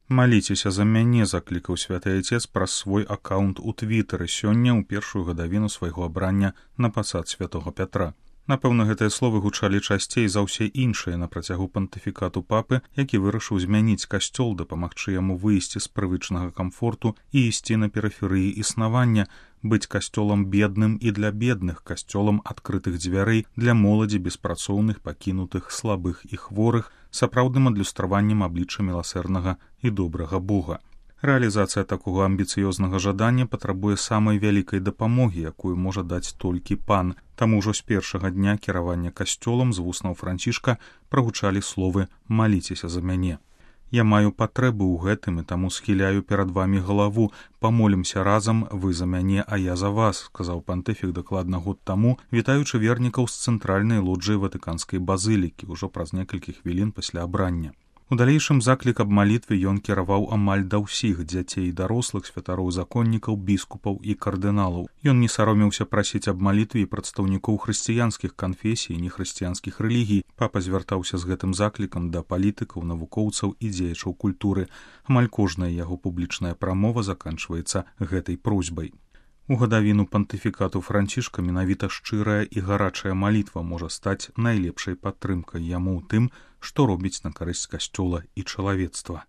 Маліцеся за мяне, заклікаў святы Айцец праз свой аккаунт у Твітары сёння ў першую гадавіну свайго абрання на пасад святого Пятра. Напэўна, гэтыя словы гучалі часцей за ўсе іншыя на працягу пантыфікату папы, які вырашыў змяніць касцёл, дапамагчы яму выйсці з прывычнага камфорту і ісці на перыферыі існавання, быць касцёлам бедным і для бедных, касцёлам адкрытых дзвярэй для моладзі беспрацоўных, пакінутых, слабых і хворых, сапраўдным адлюстраваннем аблічча міласэрнага і добрага Бога. Рэалізацыя такога амбіцыёзнага жадання патрабуе самай вялікай дапамогі, якую можа даць толькі пан. Таму ўжо з першага дня кіравання касцёлам з вуснаў Францішка прагучалі словы «Маліцеся за мяне». Я маю патрэбу ў гэтым і таму схіляю перад вамі галаву. Памолімся разам, вы за мяне, а я за вас, сказаў пантыфік дакладна год таму, вітаючы вернікаў з цэнтральнай лоджыі Ватыканскай базылікі ўжо праз некалькі хвілін пасля абрання. У далейшым заклік аб малітве ён кіраваў амаль да ўсіх дзяцей і дарослых, святароў, законнікаў, біскупаў і кардыналаў. Ён не саромеўся прасіць аб малітве і прадстаўнікоў хрысціянскіх канфесій і нехрысціянскіх рэлігій. Папа звяртаўся з гэтым заклікам да палітыкаў, навукоўцаў і дзеячаў культуры. Амаль кожная яго публічная прамова заканчваецца гэтай просьбай. У гадавіну пантыфікату Францішка менавіта шчырая і гарачая малітва можа стаць найлепшай падтрымкай яму ў тым, што робіць на карысць касцёла і чалавецтва.